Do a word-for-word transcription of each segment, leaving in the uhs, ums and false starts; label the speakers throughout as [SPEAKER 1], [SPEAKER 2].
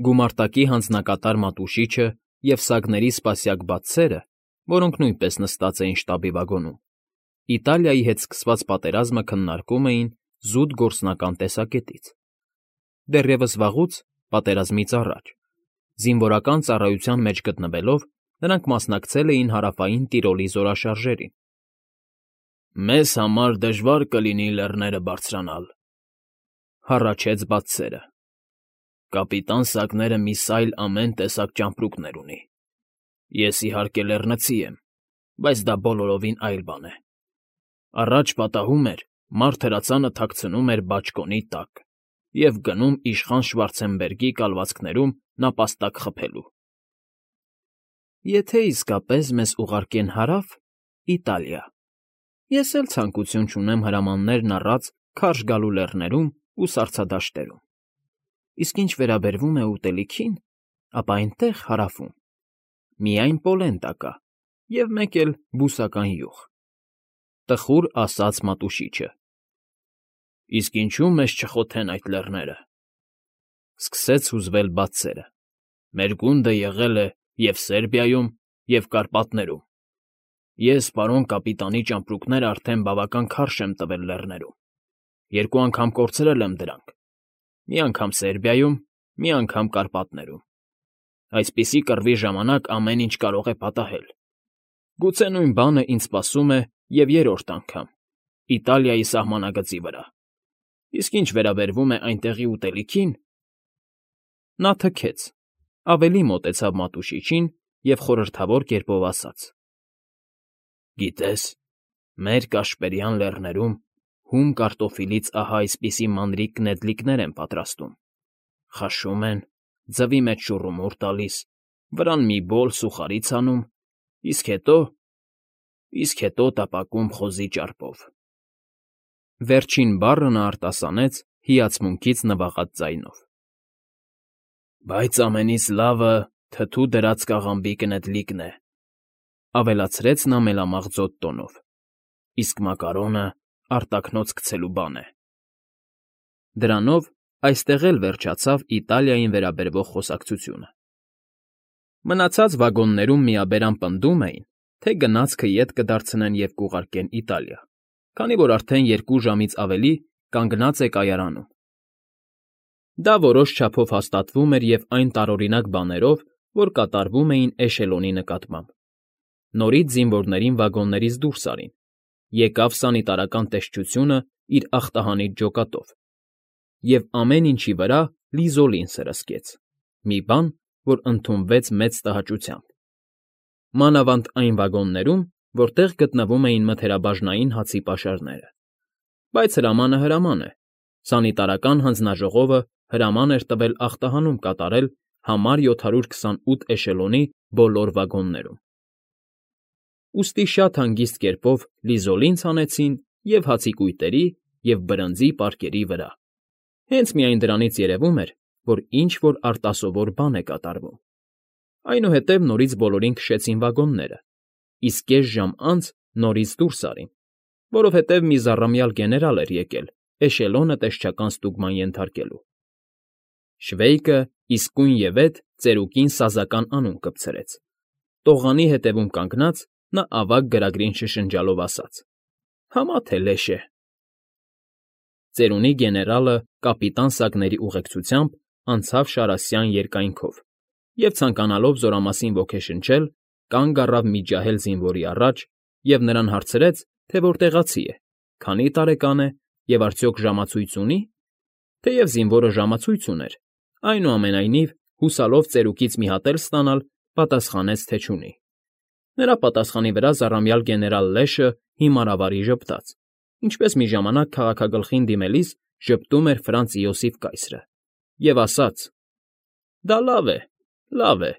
[SPEAKER 1] Գումարտակի հանձնակատար Մատուշիչը և սագների սպասյակ բացսերը, որոնք նույնպես նստած էին շտաբի վագոնում, Իտալիայի հետ սկսված պատերազմը քննարկում էին զուտ գործնական տեսակետից. դեռևս վաղուց, պատերազմից առաջ, զինվորական ծառայության մեջ գտնվելով, նրանք մասնակցել էին Հարավային Տիրոլի զորաշարժերին։ «Մեզ համար դժվար կլինի լեռները բարձրանալ,֊ հառաչեց բացսերը։ Կապիտան Սակները մի սայլ ամեն տեսակ ճամպրուկներ ունի։ Ես, իհարկե, լեռնցի եմ, բայց դա բոլորովին այլ բան է։ Առաջ պատահում էր, մարդ հրացանը թաքցնում էր բաճկոնի տակ և գնում իշխան Շվարցենբերգի կալվածքներում նապաստակ խփելու»։ «Եթե իսկապես մեզ ուղարկեն Հարավ, Իտալիա, ես էլ ցանկություն չունեմ հրամաններն առած քարշ գալու լեռներում ու սառցադաշտերում, իսկ ինչ վերաբերում է ուտելիքին, ապա այնտեղ, հարավում, միայն պոլենտա կա և մեկ էլ բուսական յուղ,֊ տխուր ասաց Մատուշիչը։ «Իսկ ինչու մեզ չխոթեն այդ լեռները,֊ սկսեց հուզվել բացսերը։֊ Մեր գունդը եղել է և՛ Սերբիայում, և Կարպատներում։ Ես պարոն կապիտանի ճամպրուկները արդեն բավական քարշ եմ տվել լեռներում, երկու անգամ կորցրել եմ դրանք, մի անգամ Սերբիայում, մի անգամ Կարպատներում։ Այսպիսի կռվի ժամանակ ամեն ինչ կարող է պատահել։ Գուցե նույն բանը ինձ սպասում է և երրորդ անգամ, Իտալիայի սահմանագծի վրա։ Իսկ ինչ վերաբերում է այնտեղի ուտելիքին…» Նա թքեց, ավելի մոտեցավ Մատուշիչին և խորհրդավոր կերպով ասաց. «Գիտես, մեր Կաշպերյան Լեռներում հում կարտոֆիլից ահա այսպիսի մանրիկ նետլիկներ են պատրաստում. խաշում են, ձվի մեջ շուռումուռ տալիս, վրան մի բոլ սուխարի ցանում, իսկ հետո… իսկ հետո տապակում խոզի ճարպով…»։ Վերջին բառը նա արտասանեց հիացմունքից նվաղած ձայնով։ «Բայց ամենից լավը թթու դրած կաղամբի կնետլիկն է,֊ ավելացրեց նա մելամաղձոտ տոնով,֊ իսկ մակարոնը արտաքնոց գցելու բան է»։ Դրանով այստեղ էլ վերջացավ Իտալիային վերաբերող խոսակցությունը։ Մնացած վագոններում միաբերան պնդում էին, թե գնացքը ետ կդարձնեն և կուղարկեն Իտալիա, քանի որ արդեն երկու ժամից ավելի կանգնած է կայարանում։ Դա որոշ չափով հաստատվում էր և այն տարօրինակ բաներով, որ կատարվում էին էշելոնի նկատմամբ։ Նորից զինվորներին վագոններից դուրս արին, եկավ սանիտարական տեսչությունը իր ախտահանիչ ջոկատով, և ամեն ինչի վրա լիզոլին սրսկեց, մի բան, որ ընդունվեց մեծ տհաճությամբ, մանավանդ այն վագոններում, որտեղ գտնվում էին մթերաբաժնային հացի պաշարները։ Բայց հրամանը հրաման է, սանիտարական հանձնաժողովը հրաման էր տվել ախտահանում կատարել համար յոթ հարյուր քսանութ էշելոնի բոլոր վագոններում։ Ուստի շատ հանգիստ կերպով լիզոլին ցանեցին և՛ հացիկույտերի, և՛ բրնձի պարկերի վրա, հենց միայն դրանից երևում էր, որ ինչ֊որ արտասովոր բան է կատարվում։ Այնուհետև նորից բոլորին քշեցին վագոնները, իսկ կես ժամ անց նորից դուրս արին, որովհետև մի զառամյալ գեներալ էր եկել էշելոնը տեսչական ստուգման ենթարկելու։ Շվեյկը իսկույնևեթ ծերուկին սազական անուն կպցրեց։ Տողանի ետևում կանգնած՝ նա ավագ գրագրին շշնջալով ասաց. «Համա թե լեշ է»։ Ծերունի գեներալը կապիտան Սակների ուղեկցությամբ անցավ շարասյան երկայնքով և, ցանկանալով զորամասին ոգեշնչել, կանգ առավ մի ջահել զինվորի առաջ և նրան հարցրեց, թե որտեղացի է, քանի տարեկան է և արդյոք ժամացույց ունի՞։ Թեև զինվորը ժամացույց ուներ, այնուամենայնիվ, հուսալով ծերուկից մի հատ էլ ստանալ, պատասխանեց, թե չունի։ Նրա պատասխանի վրա զառամյալ գեներալ Լեշը հիմարավարի ժպտաց, ինչպես մի ժամանակ քաղաքագլխին դիմելիս ժպտում էր Ֆրանց Իոսիֆ կայսրը, և ասաց. «Դա լավ է, լավ է»,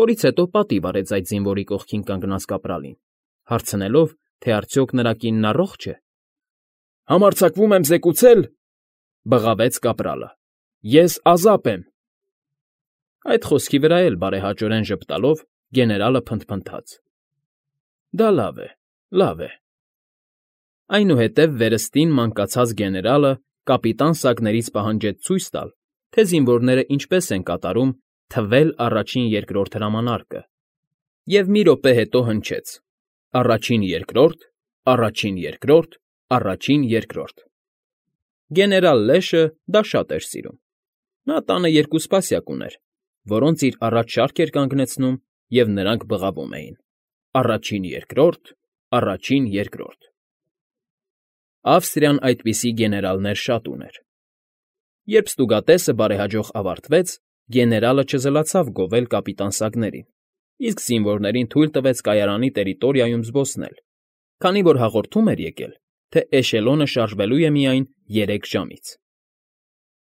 [SPEAKER 1] որից հետո պատիվ արեց այդ զինվորի կողքին կանգնած կապրալին, հարցնելով, թե արդյոք նրա կինն առողջ է։ «Համարձակվում եմ զեկուցել,֊ բղավեց կապրալը,֊ ես ազապ եմ»։ Այդ խոսքի վրա էլ բարեհաճորեն ժպտալով գեներալը փնթփնթաց. «Դա լավ է, լավ է»։ Այնուհետև վերստին մանկացած գեներալը կապիտան Սակներից պահանջեց ցույց տալ, թե զինվորները ինչպես են կատարում թվել առաջին֊երկրորդ հրամանարկը, և մի րոպե հետո հնչեց. առաջին֊երկրորդ, առաջին֊երկրորդ, առաջին֊երկրորդ… Գեներալ Լեշը դա շատ էր սիրում. նա տանը երկու սպասյակ ուներ, որոնց իր առաջ շարք էր կանգնեցնում, և նրանք բղավում էին. առաջին֊երկրորդ, առաջին֊երկրորդ… Ավստրիան այդպիսի գեներալներ շատ ուներ։ Երբ ստուգատեսը բարեհաջող ավարտվեց, գեներալը չզլացավ գովել կապիտան Սագներին, իսկ զինվորներին թույլ տվեց կայարանի տերիտորիայում զբոսնել, քանի որ հաղորդում էր եկել, թե էշելոնը շարժվելու է միայն երեք ժամից։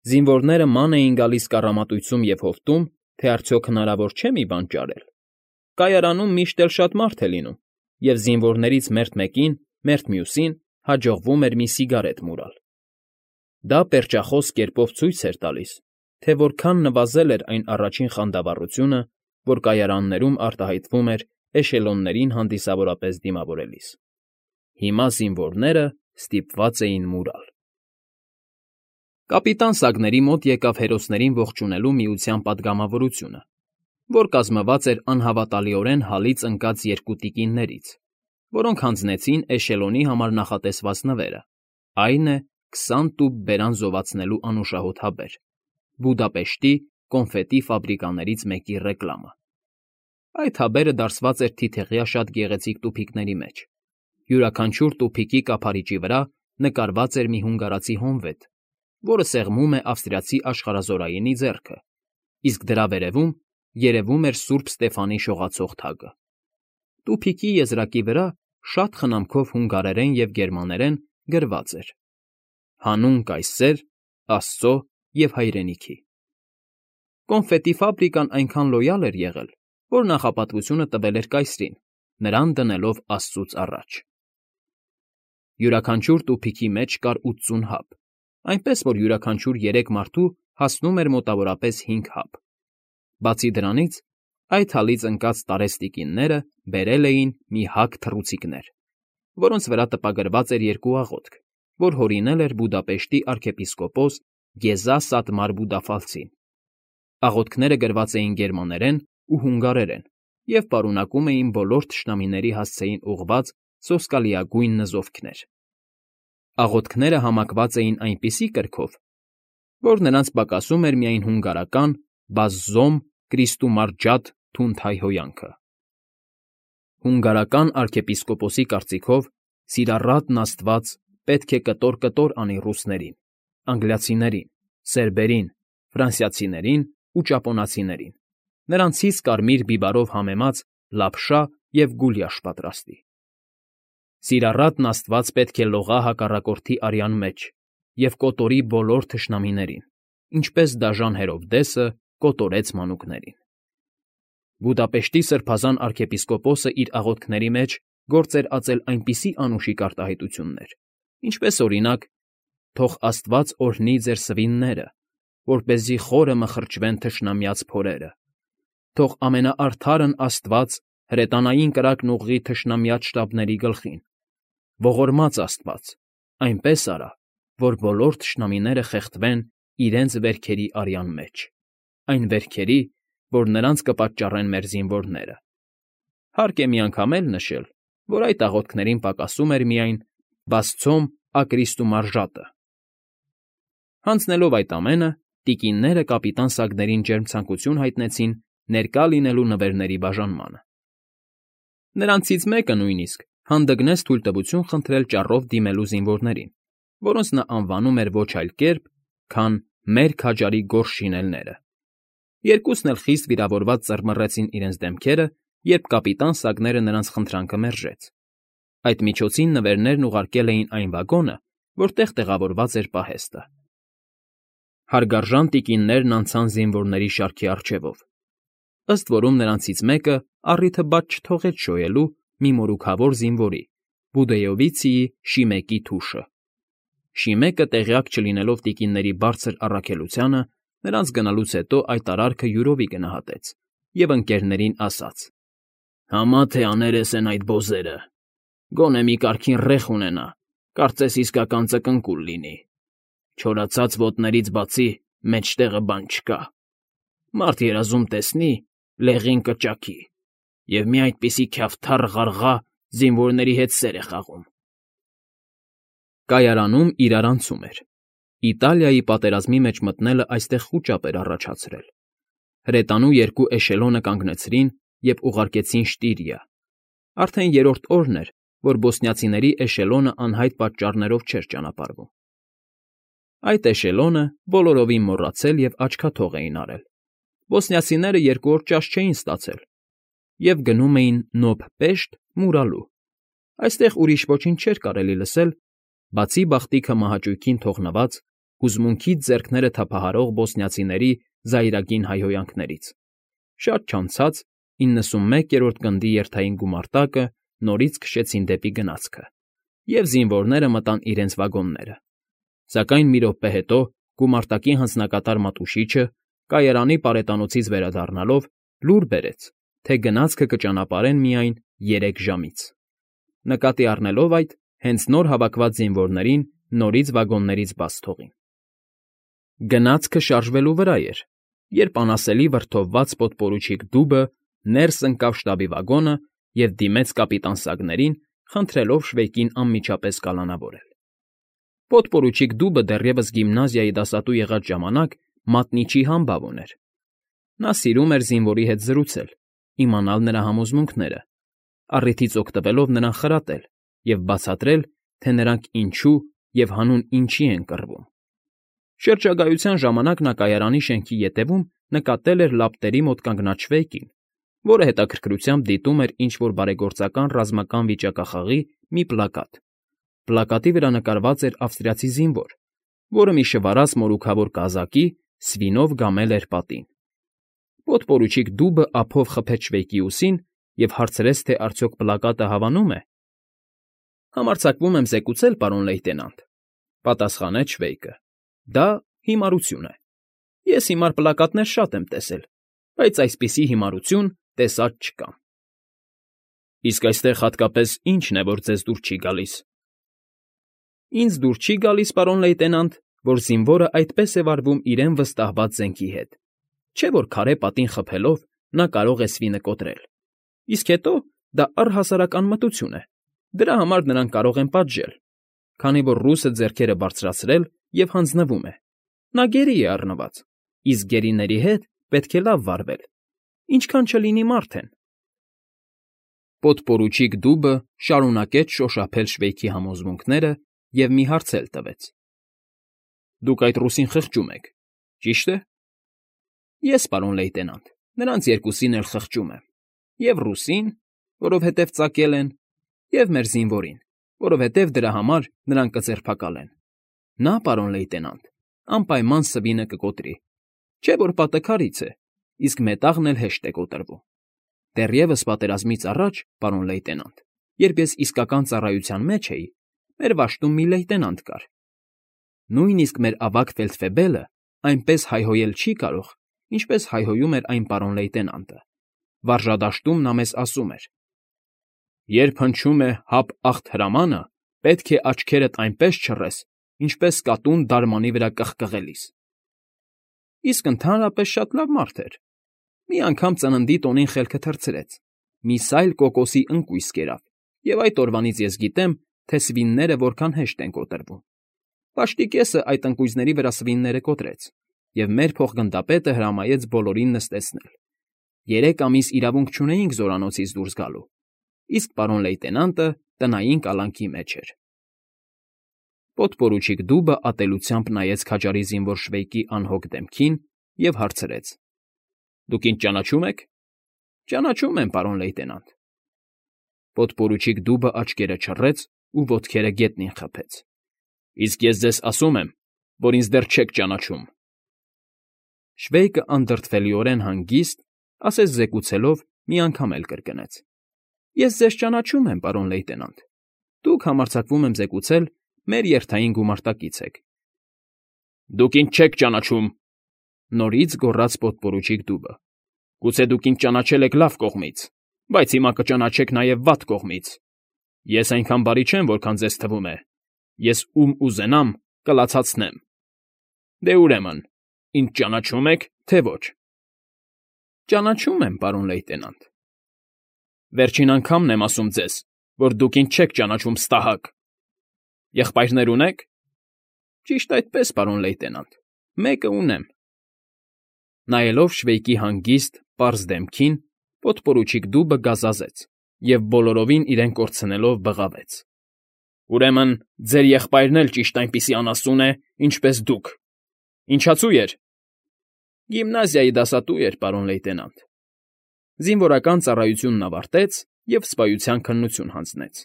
[SPEAKER 1] Զինվորները ման էին գալիս կառամատույցում և հովտում, թե արդյոք հնարավոր չէ՞ մի բան ճարել։ Կայարանում միշտ էլ շատ մարդ է լինում, և զինվորներից մերթ մեկին, մերթ մյուսին հաջողվում էր մի սիգարետ մուրալ։ Դա պերճախոս կերպով ցույց էր տալիս, թե որքան նվազել էր այն առաջին խանդավառությունը, որ կայարաններում արտահայտվում էր էշելոններին հանդիսավորապես դիմավորելիս։ Հիմա զինվորները ստիպված էին մուրալ։ Կապիտան Սագների մոտ եկավ հերոսներին ողջունելու միության պատգամավորությունը, որ կազմված էր անհավատալիորեն հալից ընկած երկու տիկիններից, որոնք հանձնեցին էշելոնի համար նախատեսված նվերը, այն է, քսան տուփ բերան զովացնելու անուշահոտ հավեր, Բուդապեշտի կոնֆետի ֆաբրիկաներից մեկի ռեկլամը։ Այդ հավերը դարսված էր թիթեղյա շատ գեղեցիկ տուփիկների մեջ։ Յուրաքանչյուր տուփիկի կափարիչի վրա նկարված էր մի հունգարացի հոնվետ, որը սեղմում է ավստրիացի աշխարհազորայինի ձեռքը, իսկ դրա վերևում երևում էր Սուրբ Ստեփանի շողացող թագը։ Տուփիկի եզրակի վրա շատ խնամքով հունգարերեն և գերմաներեն գրված էր. «Հանուն կայսեր, Աստծո և հայրենիքի»։ Կոնֆետի ֆաբրիկան այնքան լոյալ էր եղել, որ նախապատվությունը տվել էր կայսրին, նրան դնելով Աստծուց առաջ։ Յուրաքանչյուր տուփիկի մեջ կար ութսուն հաբ, այնպես որ յուրաքանչյուր երեք մարդու հասնում էր մոտավորապես հինգ հաբ։ Բացի դրանից, այդ հալից ընկած տարեց տիկինները բերել էին մի հագ թռուցիկներ, որոնց վրա տպագրված էր երկու աղոթք, որ հորինել էր Բուդապեշտի արքեպիսկոպոս Գեզա Սատմար Բուդաֆալցին։ Աղոթքները գրված էին գերմաներեն ու հունգարերեն և պարունակում էին բոլոր թշնամիների հասցեին ուղղված սոսկալիագույն նզովքներ։ Աղոթքները համակված էին այնպիսի կրքով, որ նրանց պակասում էր միայն հունգարական «Բազզոմ Կրիստումարջաթ Թունթայ հոյանքը»։ Հունգարական արքեպիսկոպոսի կարծիքով սիրառատն Աստված պետք է կտոր֊կտոր անի ռուսներին, անգլիացիներին, սերբերին, ֆրանսիացիներին ու ճապոնացիներին, նրանցից կարմիր բիբարով համեմած լապշա և գուլյաշ պատրաստի։ Սիրառատն Աստված պետք է լողա հակառակորդի արյան մեջ և կոտորի բոլոր թշնամիներին, ինչպես դաժան Հերովդեսը կոտորեց մանուկներին։ Բուդապեշտի սրբազան արքեպիսկոպոսը իր աղոթքների մեջ գործ էր ածել այնպիսի անուշիկ արտահայտություններ, ինչպես օրինակ. «Թող Աստված օրհնի ձեր սվինները, որպեսզի խորը մխրճվեն թշնամյաց փորերը, թող ամենաարդարն Աստված հրետանային կրակն ուղղի թշնամյաց շտաբների գլխին, ողորմած Աստված, այնպես արա, որ բոլոր թշնամիները խեղդվեն իրենց վերքերի արյան մեջ, այն վերքերի, որ նրանց կպատճառեն մեր զինվորները»։ Հարկ է միանգամ էլ նշել, որ այդ աղոթքներին պակասում էր միայն «Բասցոմ ակրիստումարժատը»։ Հանձնելով այդ ամենը, տիկինները կապիտան Սագներին ջերմ ցանկություն հայտնեցին ներկա լինելու նվերների բաժանմանը։ Նրանցից մեկը նույնիսկ հանդգնեց թույլտվություն խնդրել ճառով դիմելու զինվորներին, որոնց նա անվանում էր ոչ այլ կերպ, քան «մեր քաջարի գորշ շինելները»։ Երկուսն էլ խիստ վիրավորված ծռմռեցին իրենց դեմքերը, երբ կապիտան Սագները նրանց խնդրանքը մերժեց։ Այդ միջոցին նվերներն ուղարկել էին այն վագոնը, որտեղ տեղավորված էր պահեստը։ Հարգարժան տիկիններն անցան զինվորների շարքի առջևով, ըստ որում նրանցից մեկը առիթը բաց չթողեց շոյելու մի մորուքավոր զինվորի՝ Բուդեյովիցիի Շիմեկի թուշը։ Շիմեկը, տեղյակ չլինելով տիկինների բարձր առաքելությանը, նրանց գնալուց հետո այդ արարքը յուրովի գնահատեց և ընկերներին ասաց. «Համա թե աներես են այդ բոզերը, գոնե մի կարգին ռեխ ունենա, կարծես իսկական ծկնկուլ լինի։ Չորացած ոտներից բացի մեջտեղը բան չկա։ Մարդ երազում տեսնի, լեղին կճաքի, և մի այդպիսի քյավթառ ղարղա զինվորների հետ սեր է խաղում»։ Կայարանում իրարանցում էր։ Իտալիայի պատերազմի մեջ մտնելը այստեղ խուճապ էր առաջացրել։ Հրետանու երկու էշելոնը կանգնեցրին և ուղարկեցին Շտիրիա։ Արդեն երրորդ օրն էր, որ բոսնիացիների էշելոնը անհայտ պատճառներով չէր ճանապարհվում։ Այդ էշելոնը բոլորովին մոռացել և աչքաթող էին արել։ Բոսնիացիները երկու օր ճաշ չէին ստացել և գնում էին նոբ֊պեշտ մուրալու։ Այստեղ ուրիշ ոչինչ չէր կարելի լսել, բացի բախտիքը մահաճույքին թողնված, հուզմունքից ձեռքները թափահարող բոսնիացիների զայրագին հայհոյանքներից։ Շատ չանցած իննսունմեկերորդ գնդի երթային գումարտակը նորից քշեցին դեպի գնացքը, և զինվորները մտան իրենց վագոնները։ Սակայն մի րոպե հետո գումարտակի հանձնակատար մատուշիչը, կայարանի պարետանոցից վերադառնալով, լուր բերեց, թե գնացքը կճանապարհեն միայն երեք ժամից։ Նկատի առնելով այդ, հենց նոր հավաքված զինվորներին նորից վագոններից բաց թողին։ Գնացքը շարժվելու վրա էր, երբ անասելի վրդովված պոդպորուչիկ դուբը ներս ընկավ շտաբի վագոնը և դիմեց կապիտան Սագներին, խնդրելով Շվեյկին անմիջապես կալանավորել։ Պոդպորուչիկ դուբը դեռևս գիմնազիայի դասատու եղած ժամանակ մատնիչի համբավ ուներ։ Նա սիրում էր զինվորի հետ զրուցել, իմանալ նրա համոզմունքները, առիթից օգտվելով նրան խրատել և բացատրել, թե նրանք ինչու և հանուն ինչի են կռվում։ Շրջագայության ժամանակ նա կայարանի շենքի ետևում նկատել էր լապտերի մոտ կանգնած Շվեյկին, որը հետաքրքրությամբ դիտում էր ինչ֊որ բարեգործական ռազմական վիճակախաղի մի պլակատ։ Պլակատի վրա նկարված էր ավստրիացի զինվոր, որը մի շվարած մորուքավոր կազակի սվինով գամել էր պատին։ Պոդպորուչիկ դուբը ափով խփեց Շվեյկի ուսին և հարցրեց, թե արդյոք պլակատը հավանո՞ւմ է։ «Համարձակվում եմ զեկուցել, պարոն լեյտենանտ,֊ պատասխանեց Շվեյկը,֊ դա հիմարություն է։ Ես հիմար պլակատներ շատ եմ տեսել, բայց այսպիսի հիմարություն տեսած չկամ»։ «Իսկ այստեղ հատկապես ի՞նչն է, որ ձեզ դուր չի գալիս»։ «Ինձ դուր չի գալիս, պարոն լեյտենանտ, որ զինվորը այդպես է վարվում իրեն վստահված զենքի հետ, չէ՞ որ քարե պատին խփելով նա կարող է սվինը կոտրել, իսկ հետո դա առհասարակ անմտություն է, դրա համար նրան կարող են պատժել, քանի որ ռուսը ձեռքերը բարձրացրել և հանձնվում է, նա գերի է առնված, իսկ գերիների հետ պետք է լավ վարվել, ինչքան չլինի մարդ են»։ Պոդպորուչիկ դուբը շարունակեց շոշափել Շվեյկի համոզմունքները և մի հարց էլ տվեց. «Դուք այդ ռուսին խղճում եք, ճի՞շտ է»։ «Ես, պարոն լեյտենանտ, նրանց երկուսին էլ խղճում եմ, և՛ ռուսին, որովհետև ծակել են, և՛ մեր զինվորին, որովհետև դրա համար նրան կձերբակալեն։ Նա, պարոն լեյտենանտ, անպայման սվինը կկոտրի, չէ՞ որ պատը քարից է, իսկ մետաղն էլ հեշտ է կոտրվում։ Դեռևս պատերազմից առաջ, պարոն լեյտենանտ, երբ ես իսկական ծառայության մեջ էի, մեր վաշտում մի լեյտենանտ կար։ Նույնիսկ մեր ավագ ֆելդֆեբելը այնպես հայհոյել չի կարող, ինչպես հայհոյում էր այն պարոն լեյտենանտը։ Վարժադաշտում նա մեզ ասում էր. «Երբ հնչում է հապ֊ախտ հրամանը, պետք է աչքերդ այնպես չռես, ինչպես կատուն դարմանի վրա կղկղելիս»։ Իսկ ընդհանրապես շատ լավ մարդ էր։ Մի անգամ ծննդի տոնին խելքը թռցրեց, մի սայլ կոկոսի ընկույզ կերավ, և այդ օրվանից ես գիտեմ, թե սվինները որքան հեշտ են կոտրվում։ Վաշտի կեսը այդ ընկույզների վրա սվինները կոտրեց, և մեր փոխգնդապետը հրամայեց բոլորին նստեցնել։ Երեք ամիս իրավունք չունեինք զորանոցից դուրս գալու, իսկ պարոն լեյտենանտը տնային կալանքի մեջ էր։ Պոդպորուչիկ դուբը ատելությամբ նայեց քաջարի զինվոր Շվեյկի անհոգ դեմքին և հարցրեց. «Դուք ինձ ճանաչում եք»։ «Ճանաչում եմ, պարոն լեյտենանտ»։ Պոդպորուչիկ դուբը աչքերը չռեց ու ոտքերը գետնին խփեց։ «Իսկ ես ձեզ ասում եմ, որ ինձ դեռ չեք ճանաչում»։ Շվեյկը անդրդվելիորեն հանգիստ, ասես զեկուցելով, մի անգամ էլ կրկնեց. «Ես ձեզ ճանաչում եմ, պարոն լեյտենանտ, դուք, համարձակվում եմ զեկուցել, մեր երթային գումարտակից եք»։ «Դուք ինձ չեք ճանաչում», նորից գոռաց պոդպորուչիկ դուբը։ «Գուցե դուք ինձ ճանաչել եք լավ կողմից, բայց հիմա կճանաչեք նաև վատ կողմից։ Ես այնքան բարի չեմ, որքան ձեզ թվում է։ Ես ում ուզենամ, կլացացնեմ։ Դե ուրեմն, Ինձ ճանաչո՞ւմ եք, թե ոչ։ ֊ Ճանաչում եմ, պարոն լեյտենանտ։ ֊ Վերջին անգամն եմ ասում ձեզ, որ դուք ինձ չեք ճանաչում, ստահակ։ ֊ Եղբայրնե՞ր ունեք։ ֊ Ճիշտ այդպես, պարոն լեյտենանտ, մեկը ունեմ։ Նայելով Շվեյկի հանգիստ, պարզ դեմքին, podպորուչիկ Դուբը գազազեց և, բոլորովին իրեն կորցնելով, բղավեց. ֊ Ուրեմն ձեր եղբայրն էլ ճիշտ այնպիսի անասուն է, ինչպես դուք… Ինչացու էր։ ֊ Գիմնազիայի դասատու էր, պարոն լեյտենանտ։ Զինվորական ծառայությունն ավարտեց և սպայության քննություն հանձնեց։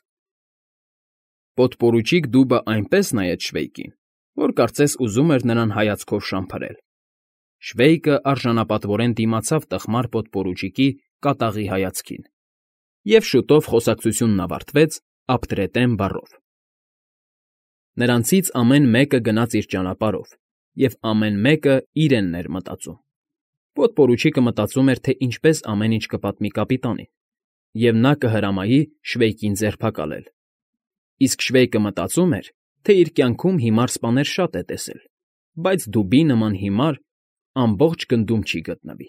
[SPEAKER 1] Պոդպորուչիկ Դուբը այնպես նայեց Շվեյկին, որ կարծես ուզում էր նրան հայացքով շամփրել։ Շվեյկը արժանապատվորեն դիմացավ տխմար պոդպորուչիկի կատաղի հայացքին, և շուտով խոսակցությունն ավարտվեց ապտրետեն բառով։ Նրանցից ամեն մեկը գնաց իր ճանապարհով, և ամեն մեկը իրենն էր մտածում։ Պոդպորուչիկը մտածում էր, թե ինչպես ամեն ինչ կպատմի կապիտանին, և նա կհրամայի Շվեյկին ձերբակալել, իսկ Շվեյկը մտածում էր, թե իր կյանքում հիմար սպաներ շատ է տեսել, բայց դուբի նման հիմար ամբողջ գնդում չի գտնվի։